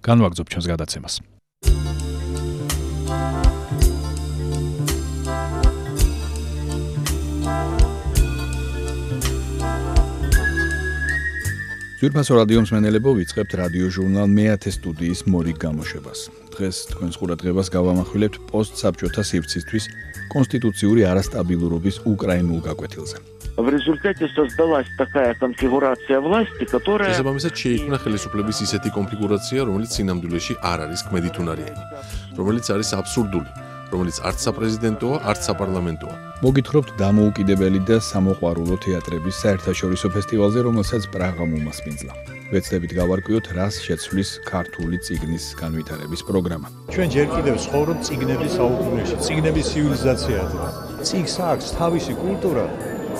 განვაგრძობ ჩვენს გადაცემას. ძვირფასო რადიო მსმენელებო, ვიწყებთ რადიო ჟურნალ მეათე студიის მორიგ გამოშვებას. დღეს თქვენს ყურადღებას გავამახვილებთ პოსტსაბჭოთა სივრცისთვის კონსტიტუციური არასტაბილურობის უკრაინულ გაკვეთილზე. В результате создалась такая конфигурация власти, которая... შესაბამისად შეიქმნა ხელისუფლების ისეთი კონფიგურაცია, რომელიც სინამდვილეში არ არის ქმედითუნარიანი, რომელიც არის აბსურდული, რომელიც არც საპრეზიდენტოა, არც საპარლამენტოა. მოგითხრობთ დამოუკიდებელი და სამოყვარულო თეატრების საერთაშორისო ფესტივალზე, რომელსაც პრაღამ უმასპინძლა. ვეცდებით გავარკვიოთ, რას შეცვლის ქართული წიგნის განვითარების პროგრამა. ჩვენ ჯერ კიდევ ცხოვრობ წიგნების საუკუნეში, წიგნების ცივილიზაციაზე. წიგნს აქვს თავისი კულტურა.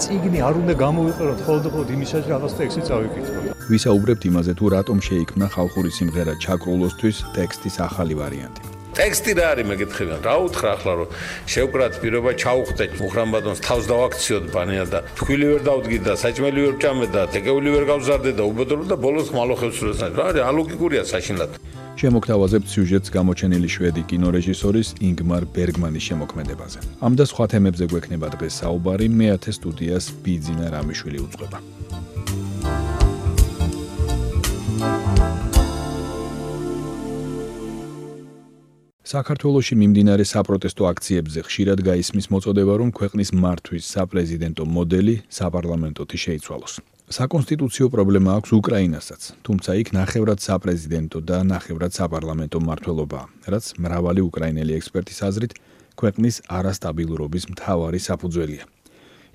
წიგნი არ უნდა გამოვიყენოთ ხოლმე იმისათვის, რაღაც ტექსტი წავიკითხოთ. ვისაუბრებთ იმაზე, თუ რატომ შეიქმნა ხალხური სიმღერა ჩაკრულოსთვის ტექსტის ახალი ვარიანტი. ტექსტი რა არის მეკითხებიან, რა უთხრა ახლა რომ შევკრათ პირობა ჩაუხდეთ მუხრამბატონს თავს დავაქციოთ ბანია და თქვილი ვერ დავდგით და საჭმელი ვერ ვჭამეთ და თეკეული ვერ გავზარდეთ და უბედური და ბოლოს ხმალოხებს ვსურვეთ. რა არის ალოგიკურია საშინლად. შემოგთავაზებთ სიუჟეტს გამოჩენილი შვედი კინორეჟისორის ინგმარ ბერგმანის შემოქმედებაზე. ამ და სხვა თემებზე გვექნება დღეს საუბარი, მეათე სტუდიას ბიძინა რამიშვილი უძღვება. საქართველოში მიმდინარე საპროტესტო აქციებზე ხშირად გაისმის მოწოდება, რომ ქვეყნის მართვის საპრეზიდენტო მოდელი საპარლამენტოთი შეიცვალოს. საკონსტიტუციო პრობლემა აქვს უკრაინასაც, თუმცა იქ ნახევრად საპრეზიდენტო და ნახევრად საპარლამენტო მმართველობაა, რაც მრავალი უკრაინელი ექსპერტის აზრით ქვეყნის არასტაბილურობის მთავარი საფუძველია.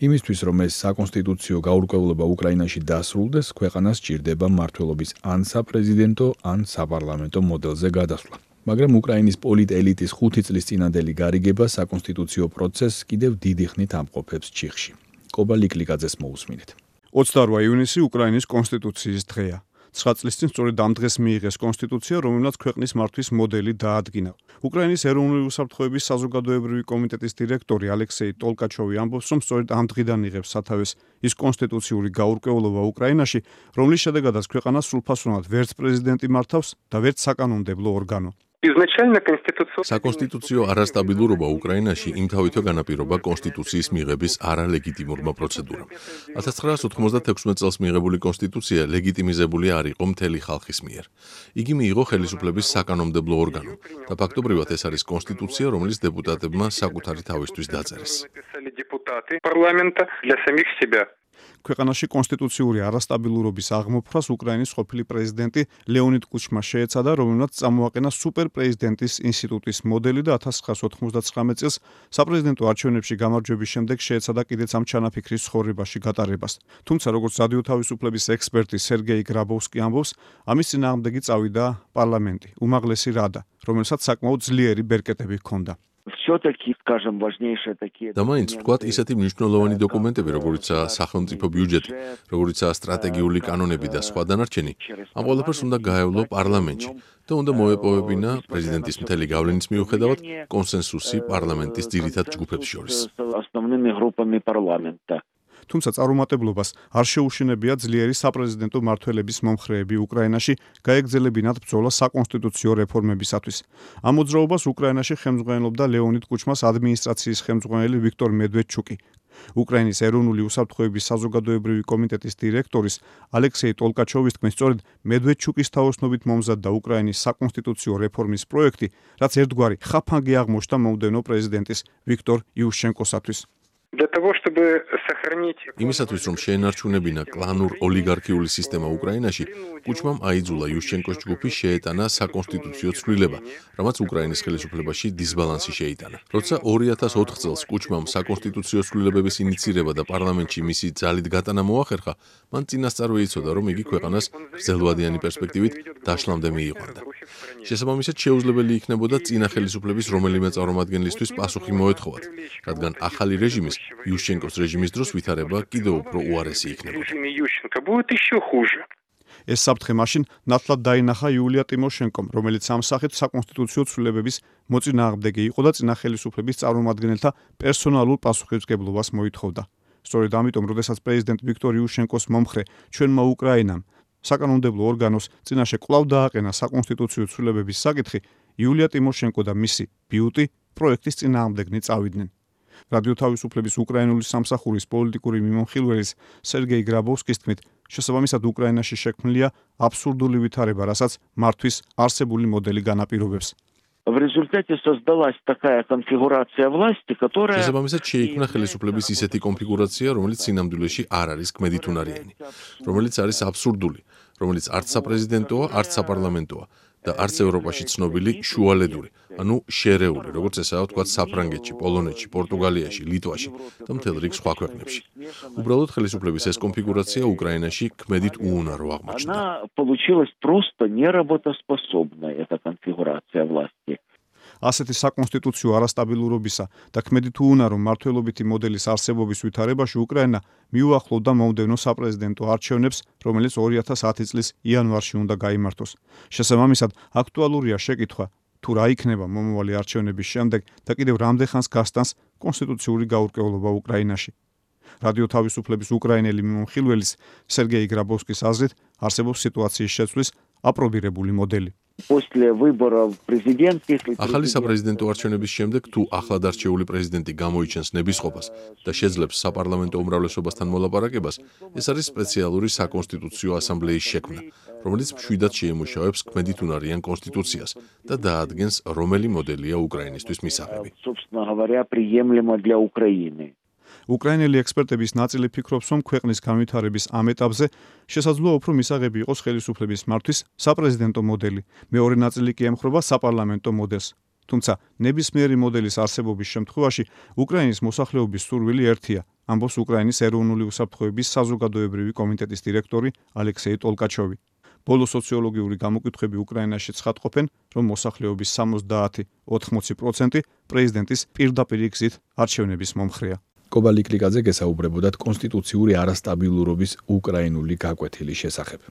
იმისთვის, რომ ეს საკონსტიტუციო გაურკვევლობა უკრაინაში დასრულდეს, ქვეყანას სჭირდება მმართველობის ან საპრეზიდენტო, ან საპარლამენტო მოდელზე გადასვლა. მაგრამ უკრაინის პოლიტ-ელიტის 5 წლის წინანდელი გარიგება საკონსტიტუციო პროცესს კიდევ დიდი ხნით ამყოფებს ჩიხში. კობა ლიკლიკაძეს მოусმინეთ. 28 ივნისი უკრაინის კონსტიტუციის დღეა. 9 წლის წინ სწორედ ამ დღეს მიიღეს კონსტიტუცია, რომელმაც ქვეყნის მართვის მოდელი დაადგინა. უკრაინის ეროვნული უსაფრთხოების საზოგადოებრივი კომიტეტის დირექტორი ალექსეი ტოლკაჩოვი ამბობს, რომ სწორედ ამ დღიდან იღებს სათავეს ის კონსტიტუციური გაურკვევლობა უკრაინაში, რომლის შედეგადაც ქვეყანას სრულფასოვნად ვერც პრეზიდენტი მართავს და ვერც საკანონმდებლო ორგანო. საკონსტიტუციო არასტაბილურობა უკრაინაში იმთავითო განაპირობა კონსტიტუციის მიღების არალეგიტიმურმა პროცედურამ. 1996 წელს მიღებული კონსტიტუცია ლეგიტიმიზებული არ იყო მთელი ხალხის მიერ. იგი მიიღო ხელისუფლების საკანონმდებლო ორგანომ და ფაქტობრივად ეს არის კონსტიტუცია, რომელიც დეპუტატებმა საკუთარი თავისთვის დაწერეს. ქვეყანაში კონსტიტუციური არასტაბილურობის აღმოფხვრას უკრაინის ყოფილი პრეზიდენტი ლეონიდ კუჩმა შეეცადა, რომელმაც წამოაყენა სუპერპრეზიდენტის ინსტიტუტის მოდელი და 1999 წელს საპრეზიდენტო არჩევნებში გამარჯვების შემდეგ შეეცადა კიდეც ამ ჩანაფიქრის ცხოვრებაში გატარებას. თუმცა, როგორც რადიო თავისუფლების ექსპერტი სერგეი გრაბოვსკი ამბობს, ამის წინააღმდეგი წავიდა პარლამენტი, უმაღლესი რადა, რომელსაც საკმაოდ ძლიერი ბერკეტები ჰქონდა. და მაინც ვთქვათ, ისეთი მნიშვნელოვანი დოკუმენტები, როგორიცაა სახელმწიფო ბიუჯეტი, როგორიცაა სტრატეგიული კანონები და სხვა დანარჩენი, ამ ყველაფერს უნდა გაევლო პარლამენტში და უნდა მოეპოვებინა პრეზიდენტის მთელი გავლენის მიუხედავად კონსენსუსი პარლამენტის ძირითად ჯგუფებს შორის. თუმცა წარუმატებლობას არ შეუშინებია ძლიერი საპრეზიდენტო მმართველების მომხრეები უკრაინაში გაეგრძელებინათ ბრძოლა საკონსტიტუციო რეფორმებისათვის. ამ მოძრაობას უკრაინაში ხელმძღვანელობდა ლეონიდ კუჩმას ადმინისტრაციის ხელმძღვანელი ვიქტორ მედვედჩუკი. უკრაინის ეროვნული უსაფრთხოების საზოგადოებრივი კომიტეტის დირექტორის ალექსეი ტოლკაჩოვის თქმით, სწორედ მედვედჩუკის თაოსნობით მომზადდა უკრაინის საკონსტიტუციო რეფორმის პროექტი, რაც ერთგვარი ხაფანგი აღმოჩნდა მომდევნო პრეზიდენტის ვიქტორ იუშჩენკოსათვის. იმისათვის, რომ შეენარჩუნებინა კლანურ-ოლიგარქიული სისტემა უკრაინაში, კუჩმამ აიძულა იუშჩენკოს ჯგუფი შეეტანა საკონსტიტუციო ცვლილება, რამაც უკრაინის ხელისუფლებაში დისბალანსი შეიტანა. როცა 2004 წელს კუჩმამ საკონსტიტუციო ცვლილებების ინიცირება და პარლამენტში მისი ძალით გატანა მოახერხა, მან წინასწარ ეცოდა, რომ იგი ქვეყანას გრძელვადიანი პერსპექტივით დაშლამდე მიიყვანდა. შესაბამისად, შეუძლებელი იქნებოდა წინა ხელისუფლების რომელიმე წარმომადგენლისთვის პასუხი მოეთხოვათ, რადგან ახალი რეჟიმის იუშჩენკოს რეჟიმის დროს ვითარება კიდევ უფრო უარესი იქნებოდა. ეს საფრთხე მაშინ ნათლად დაინახა იულია ტიმოშენკომ, რომელიც ამ სახით საკონსტიტუციო ცვლილებების მოწინააღმდეგე იყო და წინა ხელისუფლების წარმომადგენელთა პერსონალურ პასუხისმგებლობას მოითხოვდა. სწორედ ამიტომ, როდესაც პრეზიდენტ ვიქტორ იუშჩენკოს მომხრე ჩვენმა უკრაინამ საკანონმდებლო ორგანოს წინაშე კვლავ დააყენა საკონსტიტუციო ცვლილებების საკითხი, იულია ტიმოშენკო და მისი ბიუტი პროექტის წინააღმდეგნი წავიდნენ. რადიო თავისუფლების უკრაინული სამსახურის პოლიტიკური მიმოხილველის სერგეი გრაბოვსკის თქმით, შესაბამისად უკრაინაში შექმნილია აბსურდული ვითარება, რასაც მართვის არსებული მოდელი განაპირობებს. В результате создалась такая конфигурация власти, которая... შესაბამისად შეიქმნა ხელისუფლების ისეთი კონფიგურაცია, რომელიც სინამდვილეში არ არის გმედითუნარიანი, რომელიც არის აბსურდული, რომელიც არც საპრეზიდენტოა, არც საპარლამენტოა და არც ევროპაში ცნობილი შუალედური, ანუ შერეული, როგორც ესაა ვთქვათ საფრანგეთში, პოლონეთში, პორტუგალიაში, ლიტვაში და მთელ რიგ სხვა ქვეყნებში. უბრალოდ ხელისუფლების ეს კონფიგურაცია უკრაინაში გმედით უუნარო აღმოჩნდა. Она получилась просто неработоспособной, эта конфигурация власти. ასეთი საკონსტიტუციო არასტაბილურობისა და ქმედით უუნარო მმართველობითი მოდელის არსებობის ვითარებაში უკრაინა მიუახლოვდა მომდევნო საპრეზიდენტო არჩევნებს, რომელიც 2010 წლის იანვარში უნდა გაიმართოს. შესაბამისად, აქტუალურია შეკითხვა, თუ რა იქნება მომავალი არჩევნების შემდეგ და კიდევ რამდენ ხანს გასტანს კონსტიტუციური გაურკვევლობა უკრაინაში. რადიო თავისუფლების უკრაინელი მიმოხილველის სერგეი გრაბოვსკის აზრით, არსებობს სიტუაციის შეცვლის აპრობირებული მოდელი. После выборов президентских... ახალი საპრეზიდენტო არჩევნების შემდეგ თუ ახლად არჩეული პრეზიდენტი გამოიჩენს ნებისყოფას და შეძლებს საპარლამენტო უმრავლესობასთან მოლაპარაკებას, ეს არის სპეციალური საკონსტიტუციო ასამბლეის შექმნა, რომელიც მშვიდად შეიმუშავებს გმედითუნარიან კონსტიტუციას და დაადგენს, რომელი მოდელია უკრაინისთვის მისაღები. Собственно говоря, приемлемо для Украины. უკრაინელი ექსპერტების ნაწილი ფიქრობს, რომ ქვეყნის განვითარების ამ ეტაპზე შესაძლოა უფრო მისაღები იყოს ხელისუფლების მართვის საპრეზიდენტო მოდელი, მეორე ნაწილი კი ემხრობა საპარლამენტო მოდელს. თუმცა ნებისმიერი მოდელის არსებობის შემთხვევაში უკრაინის მოსახლეობის სურვილი ერთია, ამბობს უკრაინის ეროვნული უსაფრთხოების საზოგადოებრივი კომიტეტის დირექტორი ალექსეი ტოლკაჩოვი. ბოლო სოციოლოგიური გამოკითხვები უკრაინაში ცხადყოფენ, რომ მოსახლეობის 70-80% პრეზიდენტის პირდაპირი გზით არჩევნების მომხრეა. კობალი კრიკაძე გესაუბრებოდათ კონსტიტუციური არასტაბილურობის უკრაინული გაკვეთილის შესახებ.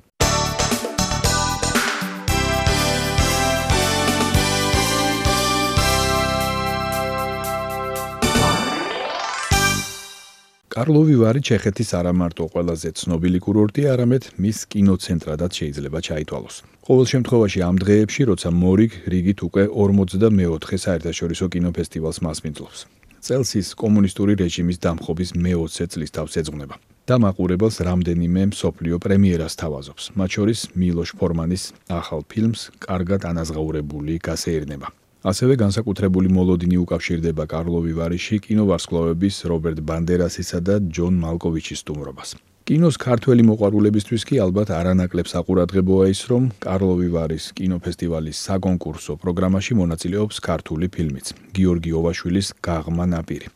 კარლოვი ვარი ჩეხეთის არა მარტო ყველაზე ცნობილი კურორტი, არამედ მის კინოცენტრადაც შეიძლება ჩაითვალოს. ყოველ შემთხვევაში ამ დღეებში, როცა მორიგ რიგით უკვე 44 საერთაშორისო კინოფესტივალს მასპინძლობს. წელს ის კომუნისტური რეჟიმის დამხობის მე-20 წლის თავს ეძღვნება და მაყურებელს რამდენიმე მსოფლიო პრემიერას თავაზობს, მათ შორის მილოშ ფორმანის ახალ ფილმს კარგად ანაზღაურებული გასეირნება. ასევე განსაკუთრებული მოლოდინი უკავშირდება კარლოვი ვარიში კინოვარსკვლავების რობერტ ბანდერასისა და ჯონ მალკოვიჩის სტუმრობას. კინოს ქართველი მოყვარულებისთვის კი ალბათ არანაკლებ საყურადღებოა ის, რომ კარლოვი ვარის კინოფესტივალის საკონკურსო პროგრამაში მონაწილეობს ქართული ფილმიც გიორგი ოვაშვილის გაღმა ნაპირი,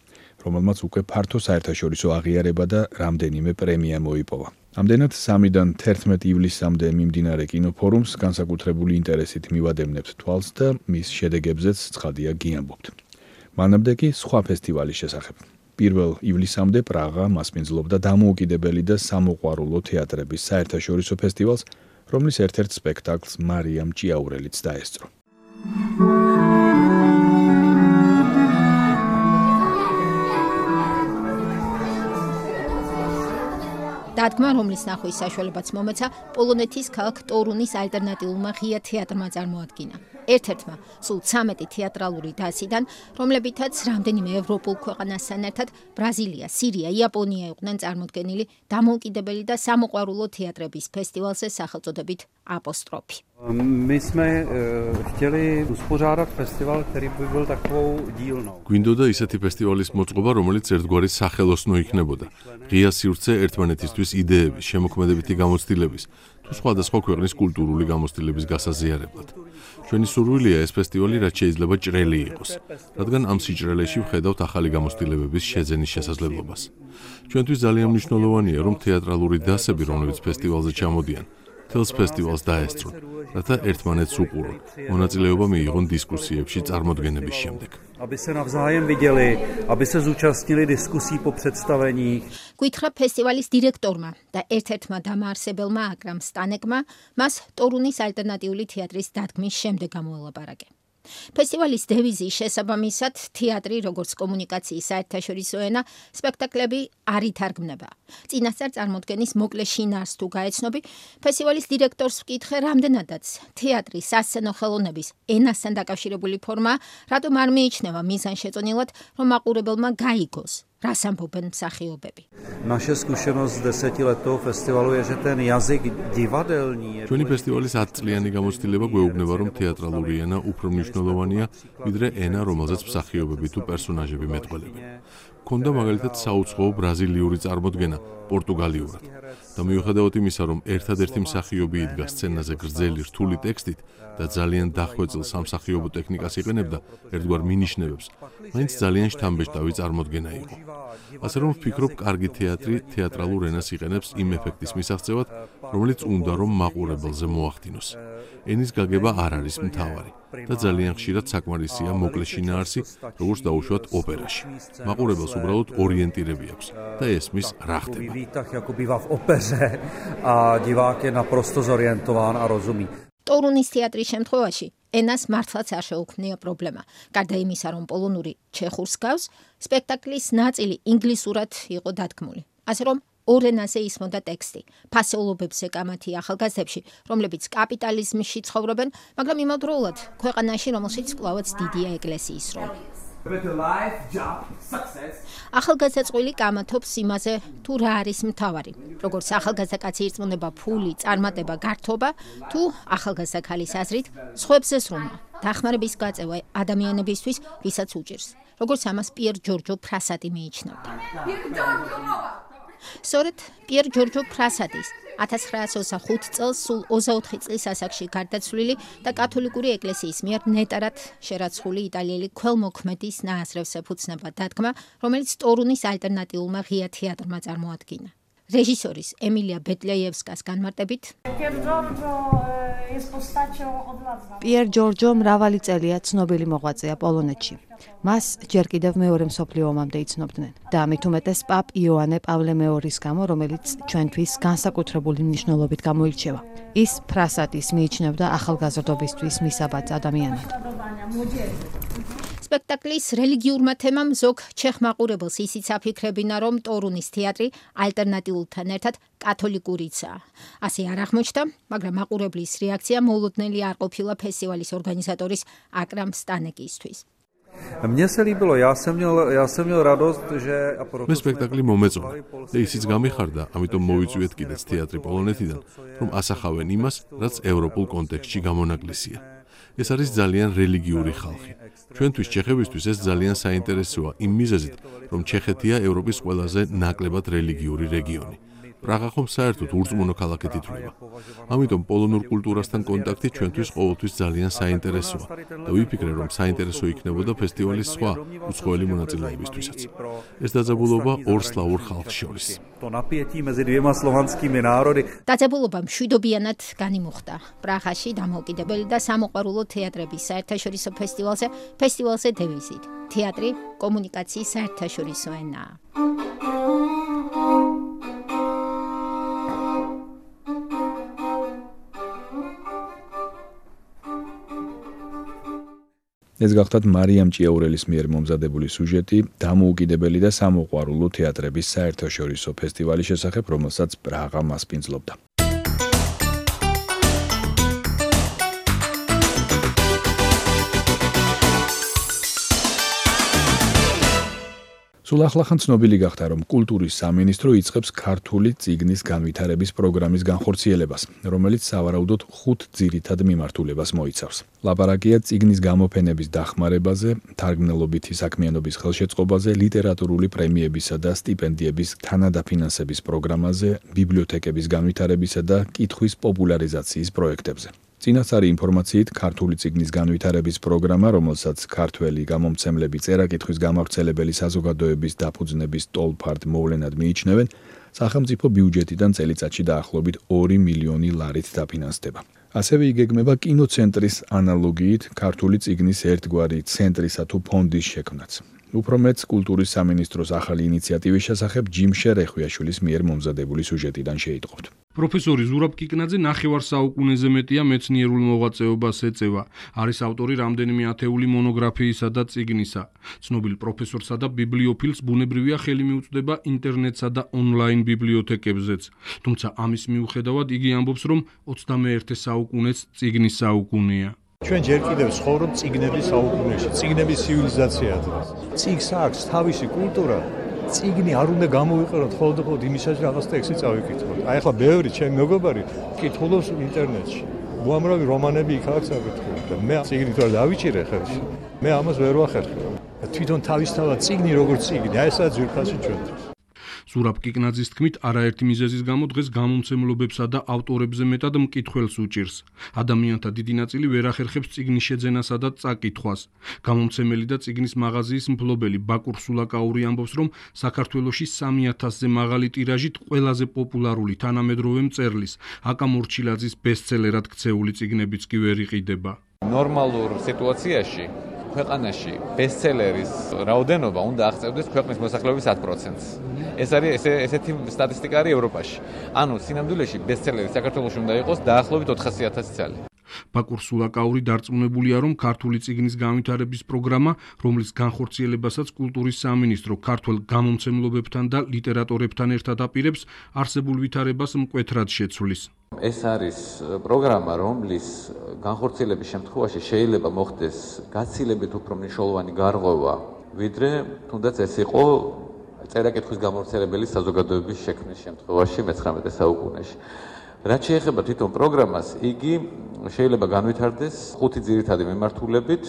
რომელმაც უკვე ფართო საერთაშორისო აღიარება და რამდენიმე პრემია მოიპოვა. ამდენად 3-დან 11 ივლისამდე მიმდინარე კინოფორუმს განსაკუთრებული ინტერესით მივადევნებთ თვალს და მის შედეგებზეც ცხადია გიამბობთ. მანამდე კი სხვა ფესტივალის შესახებ. 1 ივლისამდე პრაღა მასპინძლობდა დამოუკიდებელი და სამოყვარულო თეატრების საერთაშორისო ფესტივალს, რომლის ერთ-ერთ სპექტაკლს მარიამ ჭიაურელიც დაესწრო. დადგმა, რომლის ნახვის საშუალებაც მომეცა, პოლონეთის ქალაქ ტორუნის ალტერნატიულმა ღია თეატრმა წარმოადგინა. ერთ-ერთმა სულ 13 თეატრალური დასიდან, რომლებითაც რამდენიმე ევროპულ ქვეყანასთან ერთად ბრაზილია, სირია, იაპონია იყვნენ წარმოდგენილი დამოუკიდებელი და სამოყვარულო თეატრების ფესტივალზე სახელწოდებით აპოსტროფი. My jsme chtěli uspořádat festival, který by byl takovou dílnou. გვინდოდა ისეთი ფესტივალის მოწყობა, რომელიც ერთგვარი სახელოსნო იქნებოდა. ღია სივრცე ერთმანეთისთვის იდეების, შემოქმედებითი გამოცდილების თუ სხვადასხვა ქვეყნის კულტურული გამოცდილების გასაზიარებლად. ჩვენი სურვილია ეს ფესტივალი რაც შეიძლება ჭრელი იყოს, რადგან ამ სიჭრელეში ვხედავთ ახალი გამოცდილებების შეძენის შესაძლებლობას. ჩვენთვის ძალიან მნიშვნელოვანია, რომ თეატრალური დასები, რომლებიც ფესტივალზე ჩამოდიან, თელს ფესტივალს დაესწრონ, რათა ერთმანეთს უყურონ, მონაწილეობა მიიღონ დისკუსიებში წარმოდგენების შემდეგ. Aby se navzájem viděli, aby se zúčastnili diskusí po představeních. Გითხრა ფესტივალის დირექტორმა და ერთ-ერთმა დამაარსებელმა აკრამ სტანეკმა მას ტორუნის ალტერნატიული თეატრის დადგმის შემდეგ გამოელაპარაკე. ფესტივალის დევიზის შესაბამისად თეატრი როგორც კომუნიკაციის საერთაშორისო ენა სპექტაკლები არ ითარგმნება. წინასწარ წარმოდგენის მოკლე შინაარსს თუ გაეცნობი, ფესტივალის დირექტორს ვკითხე, რამდენადაც თეატრის სასცენო ხელოვნების ენასთან დაკავშირებული ფორმა, რატომ არ მიიჩნევა მიზანშეწონილად, რომ მაყურებელმა გაიგოს, რას ამბობენ მსახიობები. Naše zkušenost z 10letého festivalu je, že ten jazyk divadelní je ჩვენი ფესტივალის 10 წლიანი გამოცდილება გვეუბნება, რომ თეატრალური ენა უფრო მნიშვნელოვანია, ვიდრე ენა, რომელზეც მსახიობები თუ პერსონაჟები მეტყველებენ. ქონდა მაგალითად საუცხოო ბრაზილიური წარმოდგენა პორტუგალიურად. და მიუხედავად იმისა, რომ ერთადერთი მსახიობი იდგა სცენაზე გრძელი რთული ტექსტით და ძალიან დახვეწილ სამსახიობო ტექნიკას იყენებდა ერთგვარ მინიშნებებს, მაინც ძალიან შთამბეჭდავი წარმოდგენა იყო. ასე რომ ვფიქრობ, კარგი თეატრი თეატრალურ ენას იყენებს იმ ეფექტის მისაღწევად, რომელიც უნდა რომ მაყურებელზე მოახდინოს. ენის გაგება არ არის მთავარი და ძალიან ხშირად საკმარისია მოკლე შინაარსი, როგორც დაუშვათ ოპერაში. მაყურებელს უბრალოდ ორიენტირები აქვს და ესმის რა ხდება. ტორუნის თეატრის შემთხვევაში ენას მართლაც არ შეუქმნია პრობლემა. გარდა იმისა, რომ პოლონური ჩეხურს გავს, სპექტაკლის ნაწილი ინგლისურად იყო დადგმული. ასე რომ ორ ენაზე ისმოდა ტექსტი. ფასეულობებზე კამათი ახალგაზრდებში, რომლებიც კაპიტალიზმში ცხოვრობენ, მაგრამ იმავდროულად ქვეყანაში, რომელშიც კვლავაც დიდია ეკლესიის როლი. ახალგაზრდა წყვილი კამათობს იმაზე, თუ რა არის მთავარი. როგორც ახალგაზრდა კაცი ირწმუნება ფული, წარმატება, გართობა, თუ ახალგაზრდა ქალის აზრით, სხვებზე სრომა, დახმარების გაწევა ადამიანებისთვის, ვისაც უჭირს. როგორც ამას პიერ ჯორჯო ფრასატი მიიჩნევდა. სწორედ პიერ ჯორჯო ფრასატის 1925 წელს სულ 24 წლის ასაკში გარდაცვლილი და კათოლიკური ეკლესიის მიერ ნეტარად შერაცხული იტალიელი ქველმოქმედის ნააზრევს ეფუძნება დადგმა, რომელიც ტორუნის ალტერნატიულმა ღია თეატრმა წარმოადგინა. რეჟისორის ემილია ბეტლეევსკას განმარტებით, პიერ ჯორჯო მრავალი წელია ცნობილი მოღვაწეა პოლონეთში. მას ჯერ კიდევ მეორე მსოფლიო ომამდე იცნობდნენ და ამით უმეტეს პაპ იოანე პავლე მეორის გამო, რომელიც ჩვენთვის განსაკუთრებული მნიშვნელობით გამოირჩევა. ის ფრასატის მიიჩნევდა ახალგაზრდობისთვის მისაბაძ ადამიანად. სპექტაკლის რელიგიურმა თემამ ზოგ ჩეხ მაყურებელს ისიც აფიქრებინა, რომ ტორუნის თეატრი ალტერნატიულთან ერთად კათოლიკურიცაა. ასე არ აღმოჩნდა, მაგრამ მაყურებლის რეაქცია მოულოდნელი არ ყოფილა ფესტივალის ორგანიზატორის აკრამ სტანეკისთვის. Mně se líbilo, já jsem měl radost, že მე სპექტაკლი მომეწონა და ისიც გამიხარდა, ამიტომ მოვიწვიეთ კიდეც თეატრი პოლონეთიდან, რომ ასახავენ იმას, რაც ევროპულ კონტექსტში გამონაკლისია. ეს არის ძალიან რელიგიური ხალხი. ჩვენთვის ჩეხებისთვის ეს ძალიან საინტერესოა იმ მიზეზით, რომ ჩეხეთია ევროპის ყველაზე ნაკლებად რელიგიური რეგიონი. პრაღა ხომ საერთოდ ურწმუნო ქალაქით ითვლება. ამიტომ პოლონურ კულტურასთან კონტაქტი ჩვენთვის ყოველთვის ძალიან საინტერესოა და ვიფიქრე, რომ საინტერესო იქნებოდა ფესტივალის სხვა უცხოელი მონაწილეებისთვისაც. ეს დაძაბულობა ორ სლავურ ხალხს შორის. დაძაბულობა მშვიდობიანად განიმუხტა. პრაღაში დამოუკიდებელი და სამოყვარულო თეატრების საერთაშორისო ფესტივალზე დევიზით. თეატრი კომუნიკაციის საერთაშორისო ენაა. ეს გახლავთ მარიამ ჭიაურელის მიერ მომზადებული სუჟეტი დამოუკიდებელი და სამოყვარულო თეატრების საერთაშორისო ფესტივალის შესახებ, რომელსაც პრაღა მასპინძლობდა. სულ ახლახან ცნობილი გახდა, რომ კულტურის სამინისტრო იწყებს ქართული წიგნის განვითარების პროგრამის განხორციელებას, რომელიც სავარაუდოდ 5 ძირითად მიმართულებას მოიცავს. ლაპარაკია წიგნის გამოფენების დახმარებაზე, თარგმნელობითი საქმიანობის ხელშეწყობაზე, ლიტერატურული პრემიებისა და სტიპენდიების თანადაფინანსების პროგრამაზე, ბიბლიოთეკების განვითარებისა და კითხვის პოპულარიზაციის პროექტებზე. წინასწარი ინფორმაციით, ქართული წიგნის განვითარების პროგრამა, რომელსაც ქართველი გამომცემლები წერა-კითხვის გამავრცელებელი საზოგადოების დაფუძნების ტოლფარდ მოვლენად მიიჩნევენ, სახელმწიფო ბიუჯეტიდან წელიწადში დაახლოებით 2 მილიონი ლარით დაფინანსდება. ასევე იგეგმება კინოცენტრის ანალოგიით ქართული წიგნის ერთგვარი ცენტრისა თუ ფონდის შექმნაც. უფრო მეც კულტურის სამინისტროს ახალი ინიციატივის შესახებ ჯიმშერ ეხვიაშვილის მიერ მომზადებული სიუჟეტიდან შეიტყობთ. პროფესორი ზურაბ კიკნაძე ნახევარ საუკუნეზე მეტია მეცნიერულ მოღვაწეობას ეწევა. არის ავტორი რამდენიმე ათეული მონოგრაფიისა და წიგნისა. ცნობილ პროფესორსა და ბიბლიოფილს ბუნებრივია ხელი მიუწვდება ინტერნეტსა და ონლაინ ბიბლიოთეკებზეც. თუმცა ამის მიუხედავად იგი ამბობს, რომ 21 საუკუნეც წიგნის საუკუნეა. ჩვენ ჯერ კიდევ ცხოვრობთ წიგნების საუკუნეში, წიგნების ცივილიზაცია დღეს. წიგნს აქვს თავისი კულტურა. წიგნი არ უნდა გამოვიყენოთ ხოლმე იმისათვის რაღაც ტექსტი წავიკითხოთ. აი ახლა ბევრი ჩემი მეგობარი კითხულობს ინტერნეტში. უამრავი რომანები იქ აქვს აკითხული და მე წიგნით ვარ დავიჭირე ხელში. მე ამას ვერ ვახერხებ. თვითონ თავისთავად წიგნი როგორც წიგნი, აი ესაა ძვირფასი ჩვენთვის. ზურაბ კიკნაძის თქმით, არაერთი მიზეზის გამო დღეს გამომცემლობებსა და ავტორებზე მეტად მკითხველს უჭირს. ადამიანთა დიდი ნაწილი ვერ ახერხებს წიგნის შეძენასა და წაკითხვას. გამომცემელი და წიგნის მაღაზიის მფლობელი ბაკურ სულაკაური ამბობს, რომ საქართველოში 3000-ზე მაღალი ტირაჟით ყველაზე პოპულარული თანამედროვე მწერლის აკა მორჩილაძის ბესტსელერად ქცეული წიგნებიც კი ვერ იყიდება. ნორმალურ სიტუაციაში ქვეყანაში ბესტსელერის რაოდენობა უნდა აღწევდეს ქვეყნის მოსახლეობის 10%-ს. ეს არის ესეთი სტატისტიკა არის ევროპაში. ანუ სინამდვილეში ბესტსელერი საქართველოში უნდა იყოს დაახლოებით 400,000 წელი. ბაკურ სულაკაური დარწმუნებულია, რომ ქართული წიგნის განვითარების პროგრამა, რომლის განხორციელებასაც კულტურის სამინისტრო ქართველ გამომცემლობებთან და ლიტერატორებთან ერთად აპირებს, არსებულ ვითარებას მკვეთრად შეცვლის. ეს არის პროგრამა, რომლის განხორციელების შემთხვევაში შეიძლება მოხდეს გაცილებით უფრო მნიშვნელოვანი გარღვევა, ვიდრე თუნდაც ეს იყო წერა-კითხვის გამავრცელებელი საზოგადოების შექმნის შემთხვევაში მე-19 საუკუნეში. რაც შეეხება თვითონ პროგრამას, იგი შეიძლება განვითარდეს 5 ძირითადი მიმართულებით.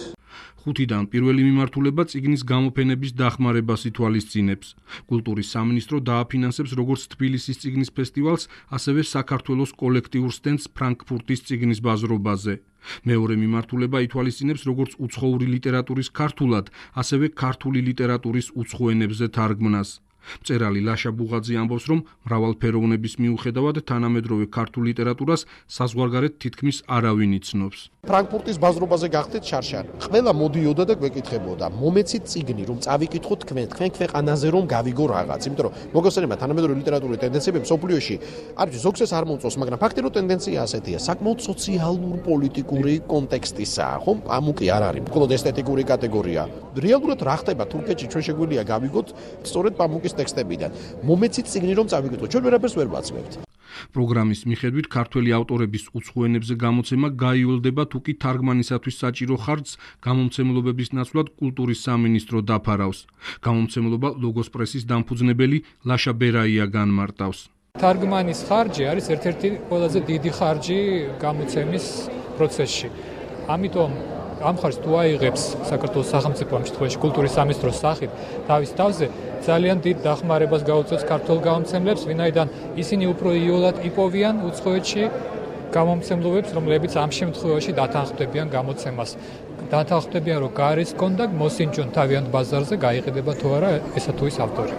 5-დან პირველი მიმართულება წიგნის გამოფენების დახმარებას ითვალისწინებს. კულტურის სამინისტრო დააფინანსებს როგორც თბილისის წიგნის ფესტივალს, ასევე საქართველოს კოლექტიურ სტენდს ფრანკფურტის წიგნის ბაზრობაზე. მეორე მიმართულება ითვალისწინებს როგორც უცხოური ლიტერატურის ქართულად, ასევე ქართული ლიტერატურის უცხო ენებზე თარგმნას. მწერალი ლაშა ბუღაძე ამბობს, რომ მრავალფეროვნების მიუხედავად თანამედროვე ქართულ ლიტერატურას საზღვარგარეთ თითქმის არავინ იცნობს. ფრანკფურტის ბაზრობაზე გახდეთ შარშან. ყველა მოდიოდა და გვეკითხებოდა, მომეცით წიგნი, რომ წავიკითხოთ თქვენ ქვეყანაზე რომ გავიგო რაღაც. იმიტომ რომ მოგესწრება თანამედროვე ლიტერატურის ტენდენციები მსოფლიოში, არის ზოგს ეს არ მომწონს, მაგრამ ფაქტი რომ ტენდენცია ასეთია, საკმაოდ სოციალურ პოლიტიკური კონტექსტისაა, ხომ? ამუკი არ არის მხოლოდ ესთეტიკური კატეგორია. რეალურად რა ხდება თურქეთში ჩვენ შეგვიძლია გავიგოთ სწორედ პამუკის ტექსტებიდან. მომეცით წიგნი რომ წავიკითხოთ, ჩვენ ვერაფერს ვერ ვაცმევთ. პროგრამის მიხედვით ქართველი ავტორების უცხო ენებზე გამოცემა გაიოლდება, თუ კი თარგმანისათვის საჭირო ხარჯს გამომცემლობების ნაცვლად კულტურის სამინისტრო დაფარავს. გამომცემლობა ლოგოს პრესის დამფუძნებელი ლაშა ბერაია განმარტავს. თარგმანის ხარჯი არის ერთ-ერთი ყველაზე დიდი ხარჯი გამოცემის პროცესში. ამიტომ ამ ხარჯს თუ აიღებს საქართველოს სახელმწიფო ამ შემთხვევაში კულტურის სამინისტროს სახით თავის თავზე ძალიან დიდ დახმარებას გაუწევს ქართულ გამომცემლებს, ვინაიდან ისინი უფრო იოლად იპოვიან უცხოეთში გამომცემლობებს, რომლებიც ამ შემთხვევაში დათანხმდებიან გამოცემას. დათანხმდებიან, რომ გარის კონდა მოსინჯონ თავიანთ ბაზარზე, გაიყიდება თუ არა ესა თუ ის ავტორი.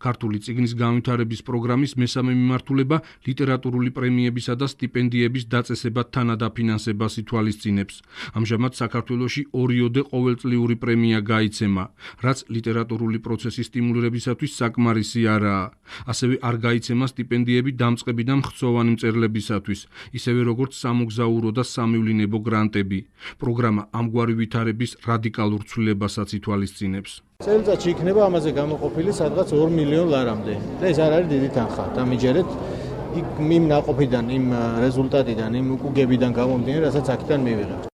ქართული წიგნის განვითარების პროგრამის მესამე მიმართულება ლიტერატურული პრემიებისა და სტიპენდიების დაწესებად თანადაფინანსებას ითვალისწინებს. ამჟამად საქართველოში 2-ოდე ყოველწლიური პრემია გაიცემა, რაც ლიტერატურული პროცესის სტიმულირებისათვის საკმარისი არაა. ასევე არ გაიცემა სტიპენდიები დამწყები და მხცოვანი მწერლებისათვის, ისევე როგორც სამოგზაურო და სამევლინებო გრანტები. პროგრამა ამგვარი ვითარების რადიკალურ ცვლილებასაც ითვალისწინებს. წელიწადში იქნება ამაზე გამოყოფილი სადღაც 2 მილიონ ლარამდე. და ეს არ არის დიდი თანხა. დამიჯერეთ იმ ნაყოფიდან, იმ რეზულტატიდან, იმ უკუგებიდან გამომდინარე, რასაც აქედან მივიღებთ.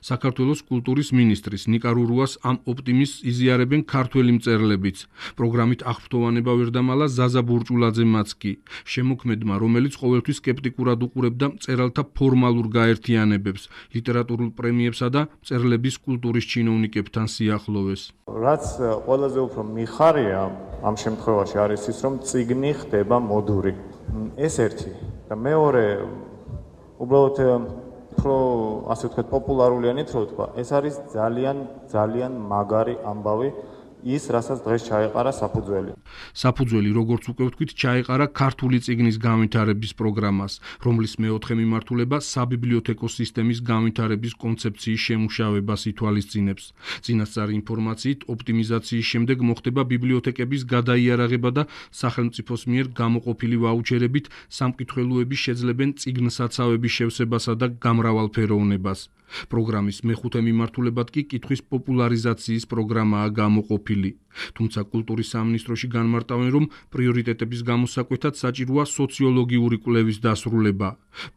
საქართველოს კულტურის მინისტრის ნიკა რურუას ამ ოპტიმიზმს იზიარებენ ქართველი მწერლებიც. პროგრამით აღფრთოვანება ვერ დამალა ზაზა ბურჭულაძემაც კი. შემოქმედმა, რომელიც ყოველთვის სკეპტიკურად უყურებდა მწერალთა ფორმალურ გაერთიანებებს, ლიტერატურულ პრემიებსა და მწერლების კულტურის ჩინოვნიკებთან სიახლოვეს. რაც ყველაზე უფრო მიხარია ამ შემთხვევაში არის ის, რომ წიგნი ხდება მოდური. ეს ერთი და მეორე უბრალოდ უფრო ასე ვთქვათ პოპულარულიანით რო ვთქვა, ეს არის ძალიან მაგარი ამბავი ის, რასაც დღეს ჩაეყარა საფუძველი. საფუძველი, როგორც უკვე ვთქვით, ჩაეყარა ქართული წიგნის განვითარების პროგრამას, რომლის მეოთხე მიმართულება საბიბლიოთეკო სისტემის განვითარების კონცეფციის შემუშავებას ითვალისწინებს. წინასწარი ინფორმაციით, ოპტიმიზაციის შემდეგ მოხდება ბიბლიოთეკების გადაიარაღება და სახელმწიფოს მიერ გამოყოფილი ვაუჩერებით სამკითხველოები შეძლებენ წიგნსაცავების შევსებასა და გამრავალფეროვნებას. პროგრამის მეხუთე მიმართულებად კი კითხვის პოპულარიზაციის პროგრამაა გამოყოფილი. თუმცა კულტურის სამინისტროში განმარტავენ, რომ პრიორიტეტების გამოსაკვეთად საჭიროა სოციოლოგიური კვლევის დასრულება.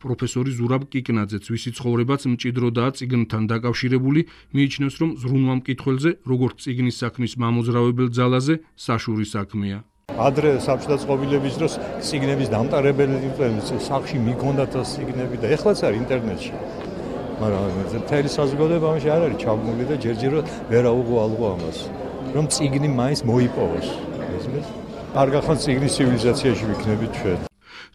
პროფესორი ზურაბ კიკნაძეც, ვისი ცხოვრებაც მჭიდროდაა წიგნთან დაკავშირებული, მიიჩნევს, რომ ზრუნვა მკითხველზე, როგორც წიგნის საქმის მამოძრავებელ ძალაზე, საშური საქმეა. ადრე საბჭოთა წყობილების დროს წიგნების დამტარებელი სახში მიქონდათ წიგნები და ეხლაც არის ინტერნეტში. მაგრამ მთელი საზოგადოება ამაში არ არის ჩაბმული და ჯერჯერობით ვერ აუღალღო ამას, რომ წიგნი მაინც მოიპოვოს. არ გახანს წიგნის ცივილიზაციაში ვიქნებით ჩვენ.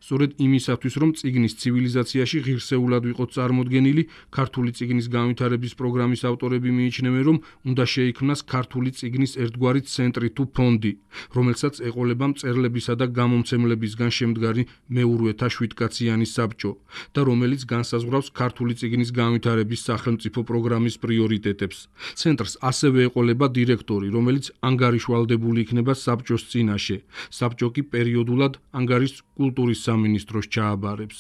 სწორედ იმისათვის, რომ წიგნის ცივილიზაციაში ღირსეულად ვიყოთ წარმოდგენილი, ქართული წიგნის განვითარების პროგრამის ავტორები მიიჩნევენ, რომ უნდა შეიქმნას ქართული წიგნის ერთგვარი ცენტრი თუ ფონდი, რომელსაც ეყოლება მწერლებისა და გამომცემლებისგან შემდგარი მეურვეთა 7-კაციანი საბჭო და რომელიც განსაზღვრავს ქართული წიგნის განვითარების სახელმწიფო პროგრამის პრიორიტეტებს. ცენტრს ასევე ეყოლება დირექტორი, რომელიც ანგარიშვალდებული იქნება საბჭოს წინაშე. საბჭო კი პერიოდულად ანგარის კულტურის სამინისტროს ჩააბარებს.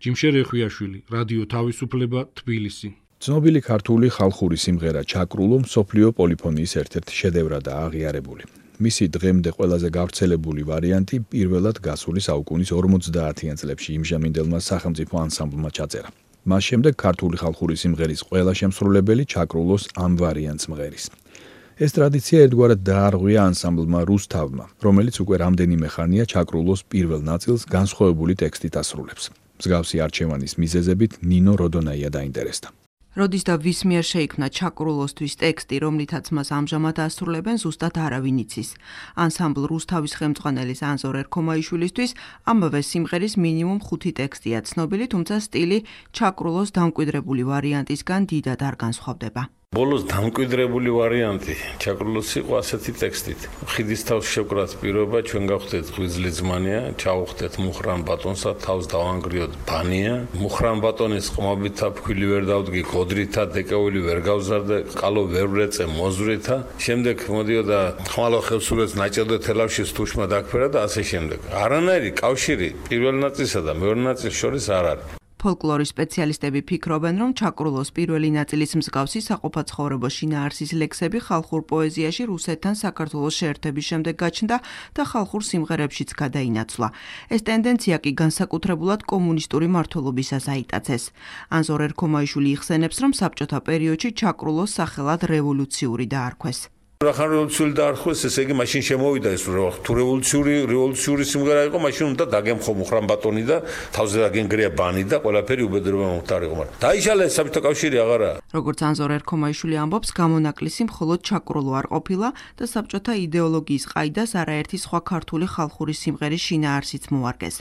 ჯიმშე რეხვიაშვილი, რადიო თავისუფლება, თბილისი. ცნობილი ქართული ხალხური სიმღერა ჩაკრულო მსოფლიო პოლიფონიის ერთ-ერთი შედევრადაა აღიარებული. მისი დღემდე ყველაზე გავრცელებული ვარიანტი პირველად გასული საუკუნის 50-იან წლებში იმჟამინდელმა სახელმწიფო ანსამბლმა ჩაწერა. მას შემდეგ ქართული ხალხური სიმღერის ყველა შემსრულებელი ჩაკრულოს ამ ვარიანტს მღერის. ეს ტრადიცია ერთგვარად დაარღვია ანსამბლმა რუსთავმა, რომელიც უკვე რამდენიმე ხანია ჩაკრულოს პირველ ნაწილს განსხვავებული ტექსტით ასრულებს. მსგავსი არჩევანის მიზეზებით ნინო როდონაია დაინტერესდა. როდის და ვის მიერ შეიქმნა ჩაკრულოსთვის ტექსტი, რომლითაც მას ამჟამად ასრულებენ, ზუსტად არავინ იცის. ანსამბლ რუსთავის ხელმძღვანელის ანზორ ერქომაიშვილისთვის ამავე სიმღერის მინიმუმ 5 ტექსტია ცნობილი, თუმცა სტილი ჩაკრულოს დამკვიდრებული ვარიანტისგან დიდად არ განსხვავდება. ბოლოს დამკვიდრებული ვარიანტი ჩაკრულოს იყო ასეთი ტექსტით. ხიდის თავს შევკრათ პირობა, ჩვენ გავხდეთ ღვიძლი ძმანია, ჩავხდეთ მუხრან ბატონსა, თავს დავანგრიოთ ბანია. მუხრან ბატონის ყმობითა ფქვილი ვერ დავდგი, გოდრითა დეკავილი ვერ გავზარდე, ყალო ვერ ვრეწე მოზვრითა. შემდეგ მოდიოდა ხმალო ხევსურეთს ნაჭედო თელავში თუშმა დაგფერა და ასე შემდეგ. არანაირი კავშირი პირველ ნაწილსა და მეორე ნაწილს შორის არ არის. ფოლკლორის სპეციალისტები ფიქრობენ, რომ ჩაკრულოს პირველი ნაწილის მსგავსი საყოფაცხოვრებო შინაარსის ლექსები ხალხურ პოეზიაში რუსეთთან საქართველოს შეერთების შემდეგ გაჩნდა და ხალხურ სიმღერებშიც გადაინაცვლა. ეს ტენდენცია კი განსაკუთრებულად კომუნისტური მმართველობისას აიტაცეს. ანზორ ერქომაიშვილი იხსენებს, რომ საბჭოთა პერიოდში ჩაკრულოს სახელად რევოლუციური დაარქვეს. რახან რევოლუციური დაარქვეს, ესე იგი მაშინ შემოვიდა ეს თუ რევოლუციური სიმღერა იყო, მაშინ უნდა დაგემხო მუხრან ბატონი და თავზე დაგენგრია ბანი და ყველაფერი უბედურება მომხდარიყო, მაგრამ დაიშალა საბჭოთა კავშირი აღარა. როგორც ანზორ ერქომაიშვილი ამბობს, გამონაკლისი მხოლოდ ჩაკრულო არ ყოფილა და საბჭოთა იდეოლოგიის ყაიდას არაერთი სხვა ქართული ხალხური სიმღერის შინაარსიც მოარგეს.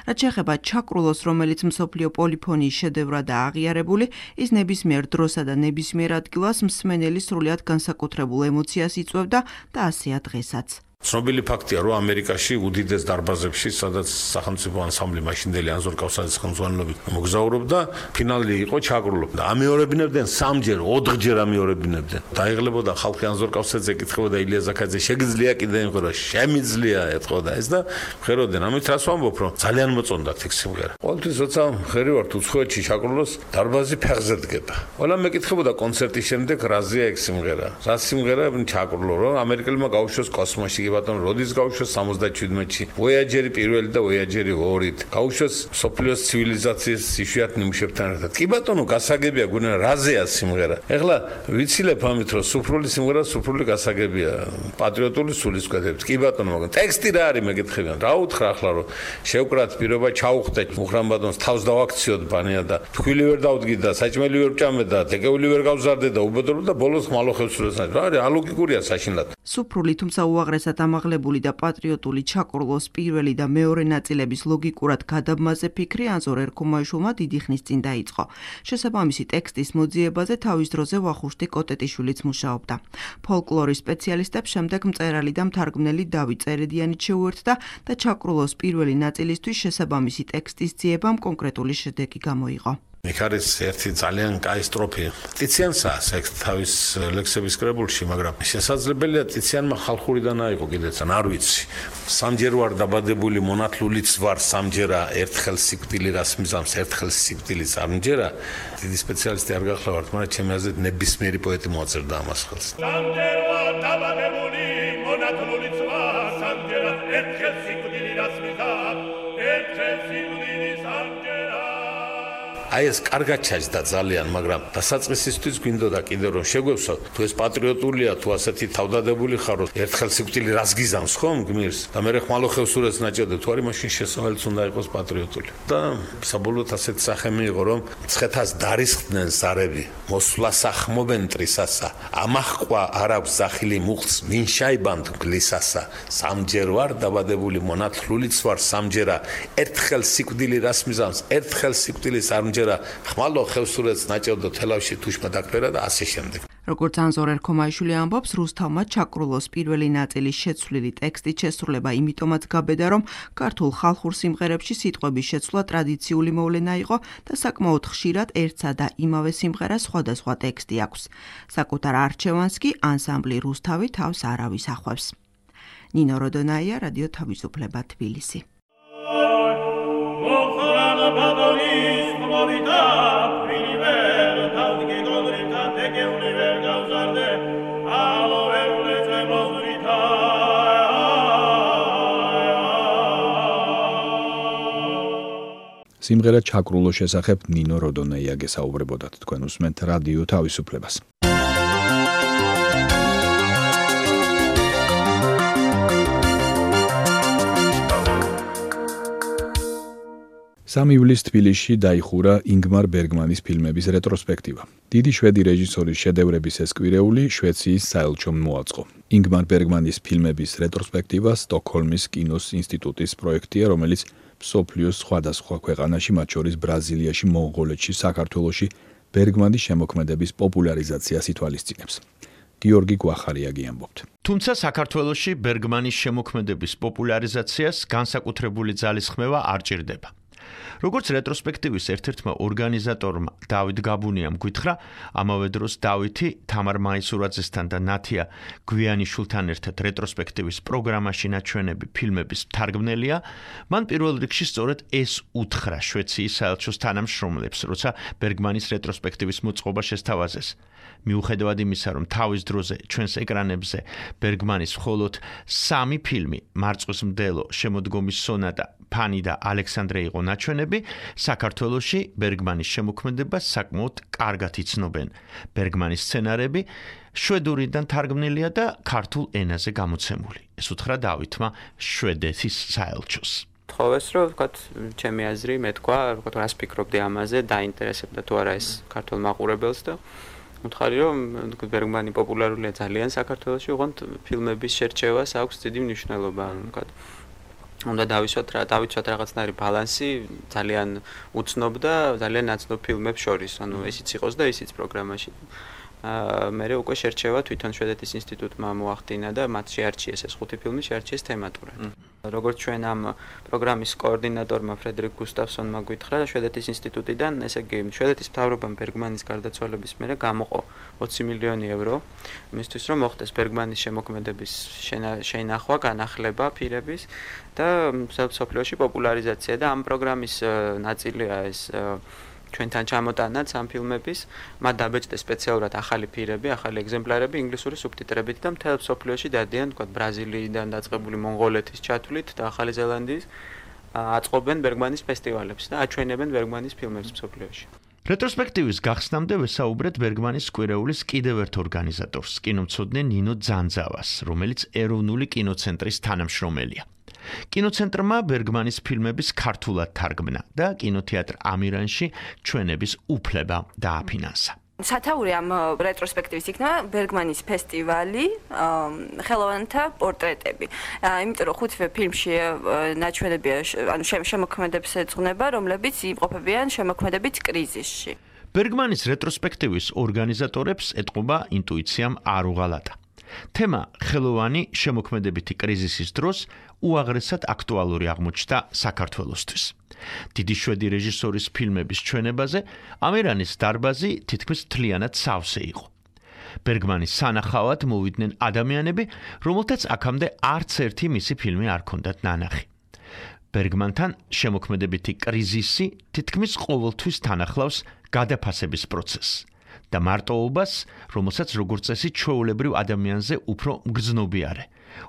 რაც შეეხება ჩაკრულოს, რომელიც მსოფლიო პოლიფონიის შედევრადაა აღიარებული, ის ნებისმიერ დროსა და ნებისმიერ ადგილას მსმენელის სრულიად განსაკუთრებულ ემოციას იწვევდა და ასეა დღესაც. ცნობილი ფაქტია, რომ ამერიკაში უდიდეს დარბაზებში, სადაც სახელმწიფო ანსამბლი მაშინდელი ანზორ კავსაძის ხელმძღვანელობით მოგზაურობდა, ფინალი იყო ჩაკრულო. და ამეორებინებდნენ 3-ჯერ, 4-ჯერ ამეორებინებდნენ. დაიღლებოდა ხალხი ანზორ კავსაძეს ეკითხებოდა ილია ზაქაძე, შეგიძლია კიდე იმღერა, შემიძლია ეთყოდა ეს და ხეროდნენ. ამით რას ვამბობ, რომ ძალიან მოწონდათ ეს სიმღერა. ყოველთვის როცა ხერი ვართ უცხოეთში ჩაკრულოს, დარბაზი ფეხზე დგება. ყველა მეკითხებოდა კონცერტის შემდეგ რაზეა ეს სიმღერა. რა სიმღერა ჩაკრულო, რომ ამერიკელებმა გაუშვეს კოსმოსში ბატონ როდის გაუშვეს 77-ში ვოიაჯერი პირველი და ვოიაჯერი 2-ით გაუშვეს სოფლიოს ცივილიზაციის იშვიათ ნიმუშებთან ერთად. კი ბატონო, გასაგებია გუნა რაზეა სიმღერა. ეხლა ვიცილებ ამით, რომ სუფრული სიმღერა სუფრული გასაგებია, პატრიოტული სულისკვეთებით. კი ბატონო, მაგრამ ტექსტი რა არის მეკითხებიან. რა უთხრა ახლა, რომ შევკრათ პირობა, ჩავხდეთ მუხრან ბატონს, თავს დავაქციოთ ბანია და თქვილი ვერ დავდგი და საჭმელი ვერ ვჭამე და დეკეული ვერ გავზარდე და უბედურობა და ბოლოს ხმალო ხევსურეთს. რა არის ალოგიკურია საშინლად. სუფრული, თუმცა უაღრესად ამაღლებული და პატრიოტული ჩაკრულოს პირველი და მეორე ნაწილების ლოგიკურად გადაბმაზე ფიქრი ანზორ ერქომაიშვილმა დიდი ხნის წინ დაიწყო. შესაბამისი ტექსტის მოძიებაზე თავის დროზე ვახუშტი კოტეტიშვილიც მუშაობდა. ფოლკლორის სპეციალისტებს შემდეგ მწერალი და მთარგმნელი დავით წერედიანიც შეუერთდა და ჩაკრულოს პირველი ნაწილისთვის შესაბამისი ტექსტის ძიებამ კონკრეტული შედეგი გამოიღო. იქ არის ერთი ძალიან კაი სტროფი. ტიციანსაა ეს თავის ლექსების კრებულში, მაგრამ შესაძლებელია ტიციანმა ხალხურიდან აიღო კიდეც, არ ვიცი. სამჯერ ვარ დაბადებული, მონათლულიც ვარ სამჯერა, ერთხელ სიკვდილი რას მიზამს, ერთხელ სიკვდილიც არ მჯერა. დიდი სპეციალისტი არ გახლავართ, მაგრამ ჩემი აზრით ნებისმიერი პოეტი მოაწერდა ამას ხელს. სამჯერ ვარ დაბადებული, მონათლულიც ვარ სამჯერა, ერთხელ სიკვდილი რას მიზამს, ერთხელ სიკვდილიც არ მჯერა. აი ეს კარგად ჩაჯდა ძალიან, მაგრამ დასაწყისისთვის გვინდოდა კიდევ რომ შეგვევსოთ, თუ ეს პატრიოტულია, თუ ასეთი თავდადებული ხარ, ერთხელ სიკვდილი რას გიზამს, ხომ გმირს? და მე ხმალოხევს სურათს ნაჭერდა, თუ არის მაშინ შესავალიც უნდა იყოს პატრიოტული. და საბოლოოდ ასეთი სახე მიიღო, რომ მცხეთას დარისხდნენ ზარები, მოსვლას ახმობენ ტრისასა, ამაჰყვა არ აქვს ზახილი მუხტს, მინშაიბანდ გლისასა, სამჯერ ვარ დაბადებული, მონათლულიც ვარ სამჯერა, ერთხელ სიკვდილი რას მიზამს, ერთხელ სიკვდილის არ ხმალო ხევსურეთს ნაჭერდო თელავში თუშმა დაგფერა და ასე შემდეგ. როგორც ანზორ ერქომაიშვილი ამბობს, რუსთავმა ჩაკრულოს პირველი ნაწილის შეცვლილი ტექსტის შესრულება იმიტომაც გაბედა, რომ ქართულ ხალხურ სიმღერებში სიტყვების შეცვლა ტრადიციული მოვლენა იყო და საკმაოდ ხშირად ერთსა და იმავე სიმღერას სხვადასხვა ტექსტი აქვს. საკუთარ არჩევანს კი ანსამბლი რუსთავი თავს არავის ახვევს. ნინო როდონაია, რადიო თავისუფლება, თბილისი. სიმღერა ჩაკრულოს შესახებ ნინო როდონეია გესაუბრებოდათ, თქვენ უსმენთ რადიო თავისუფლებას. ივლისს თბილისში დაიხურა ინგმარ ბერგმანის ფილმების რეტროსპექტივა. დიდი შვედი რეჟისორის შედევრების ეს კვირეული შვეციის საელჩომ მოაწყო. ინგმარ ბერგმანის ფილმების რეტროსპექტივა სტოკჰოლმის კინოს ინსტიტუტის პროექტია, რომელიც მსოფლიოს სხვადასხვა ქვეყანაში, მათ შორის ბრაზილიაში, მონღოლეთში, საქართველოში ბერგმანის შემოქმედების პოპულარიზაციას ითვალისწინებს. გიორგი გვახარიაგი ამბობთ. თუმცა საქართველოში ბერგმანის შემოქმედების პოპულარიზაციას განსაკუთრებული ძალისხმევა არ ჭირდება. როგორც რეტროსპექტივის ერთ-ერთმა ორგანიზატორმა დავით გაბუნიამ გითხრა, ამავე დროს დავითი თამარ მაისურაძესთან და ნათია გვიანიშვილთან ერთად რეტროსპექტივის პროგრამაში ნაჩვენები ფილმების მთარგმნელია, მან პირველ რიგში სწორედ ეს უთხრა შვეციის საელჩოს თანამშრომლებს, როცა ბერგმანის რეტროსპექტივის მოწყობა შესთავაზეს. მიუხედავად იმისა, რომ თავის დროზე ჩვენს ეკრანებზე ბერგმანის მხოლოდ 3 ფილმი, მარწყვის მდელო, შემოდგომის სონატა, ფანი და ალექსანდრე იყო ნაჩვენები, საქართველოში ბერგმანის შემოქმედებას საკმაოდ კარგად იცნობენ. ბერგმანის სცენარები შვედურიდან თარგმნილია და ქართულ ენაზე გამოცემული. ეს უთხრა დავითმა შვედეთის საელჩოს. თხოვეს, რომ ვთქვათ, ჩემი აზრი მე თქვა, ვთქვათ, რას ფიქრობდი ამაზე, დაინტერესებდა თუ არა ეს ქართულ მაყურებელს და მითხარი, რომ ბერგმანი პოპულარულია ძალიან საქართველოში, ოღონდ ფილმების შერჩევას აქვს დიდი მნიშვნელობა, ვთქვათ. უნდა დავიცვათ რაღაცნაირი ბალანსი ძალიან უცნობ და ძალიან ნაცნობ ფილმებს შორის, ანუ ესიც იყოს და ისიც პროგრამაში. მე უკვე შერჩევა თვითონ შვედეთის ინსტიტუტმა მოახდინა და მათ შეარჩიეს ეს 5 ფილმი შეარჩიეს თემატურად. როგორც ჩვენ ამ პროგრამის კოორდინატორმა ფრედერიკ გუსტავსონმა გითხრა შვედეთის ინსტიტუტიდან, ესე იგი შვედეთის მთავრობამ ბერგმანის გარდაცვალების მერე გამოყო 20 მილიონი ევრო იმისთვის, რომ მოხდეს ბერგმანის შემოქმედების შენახვა, განახლება პირების და მსოფლიოში პოპულარიზაცია და ამ პროგრამის ნაწილია ეს ჩვენთან ჩამოტანაც ამ ფილმების, მათ დაბეჭდეს სპეციალურად ახალი ფირები, ახალი ეგზემპლარები ინგლისური სუბტიტრებით და მთელ მსოფლიოში დადიან, თქვა ბრაზილიიდან დაწყებული მონღოლეთის ჩათვლით და ახალი ზელანდიის აწყობენ ბერგმანის ფესტივალებს და აჩვენებენ ბერგმანის ფილმებს მსოფლიოში. რეტროსპექტივის გახსნამდე ვესაუბრეთ ბერგმანის კვირეულის კიდევ ერთ ორგანიზატორს, კინომცოდნე ნინო ძანძავას, რომელიც ეროვნული კინოცენტრის თანამშრომელია. კინოცენტრმა ბერგმანის ფილმების ქართულად თარგმნა და კინოთეატრ ამირანში ჩვენების უფლება დააფინანსა. სათაური ამ რეტროსპექტივის იქნება ბერგმანის ფესტივალი, ხელოვანთა პორტრეტები. იმიტომ რომ ხუთივე ფილმში ნაჩვენებია, ანუ შემოქმედებს ეძღვნება, რომლებიც იმყოფებიან შემოქმედებით კრიზისში. ბერგმანის რეტროსპექტივის ორგანიზატორებს ეტყობა ინტუიციამ არ უღალატა. თემა ხელოვანი შემოქმედებითი კრიზისის დროს უაღრესად აქტუალური აღმოჩნდა საქართველოსთვის. დიდი შვედი რეჟისორის ფილმების ჩვენებაზე ამერანის დარბაზი თითქმის მთლიანად სავსე იყო. ბერგმანის სანახავად მოვიდნენ ადამიანები, რომელთაც აქამდე არც ერთი მისი ფილმი არ ჰქონდათ ნანახი. ბერგმანთან შემოქმედებითი კრიზისი თითქმის ყოველთვის თანახლავს გადაფასების პროცესს და მარტოობას, რომელსაც როგორც წესი ჩვეულებრივ ადამიანზე უფრო მგრძნობიარე,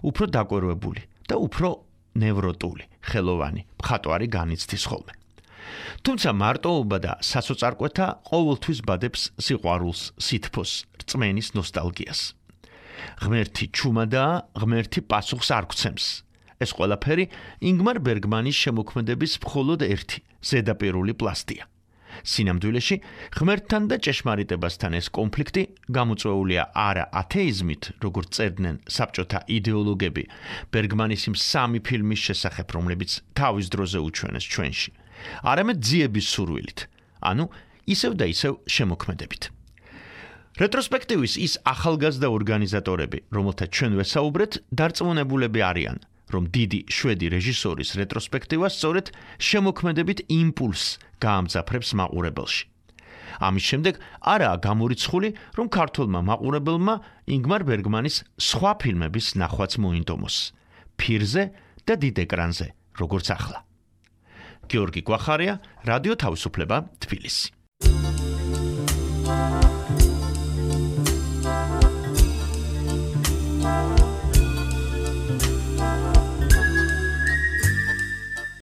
უფრო დაკვირვებული და უფრო ნევროტული, ხელოვანი, მხატვარი განიცდის ხოლმე. თუმცა მარტოობა და სასოწარკვეთა ყოველთვის ბადებს სიყვარულს, სითბოს, რწმენის ნოსტალგიას. ღმერთი ჩუმადაა, ღმერთი პასუხს არ გვცემს. ეს ყველაფერი ინგმარ ბერგმანის შემოქმედების მხოლოდ ერთი ზედაპირული პლასტია. სინამდვილეში ღმერთთან და ჭეშმარიტებასთან ეს კონფლიქტი გამოწვეულია არა ათეიზმით, როგორც წერდნენ საბჭოთა იდეოლოგები ბერგმანის იმ სამი ფილმის შესახებ, რომლებიც თავის დროზე უჩვენეს ჩვენში, არამედ ძიების სურვილით, ანუ ისევ და ისევ შემოქმედებით. რეტროსპექტივის ის ახალგაზრდა ორგანიზატორები, რომელთა ჩვენ ვესაუბრეთ, დარწმუნებულები არიან, რომ დიდი შვედი რეჟისორის რეტროსპექტივა სწორედ შემოქმედებით იმპულსს გაამძაფრებს მაყურებელში. ამის შემდეგ არაა გამორიცხული, რომ ქართველმა მაყურებელმა ინგმარ ბერგმანის სხვა ფილმების ნახვაც მოინდომოს. ფირზე და დიდ ეკრანზე, როგორც ახლა. გიორგი გვახარია, რადიო თავისუფლება, თბილისი.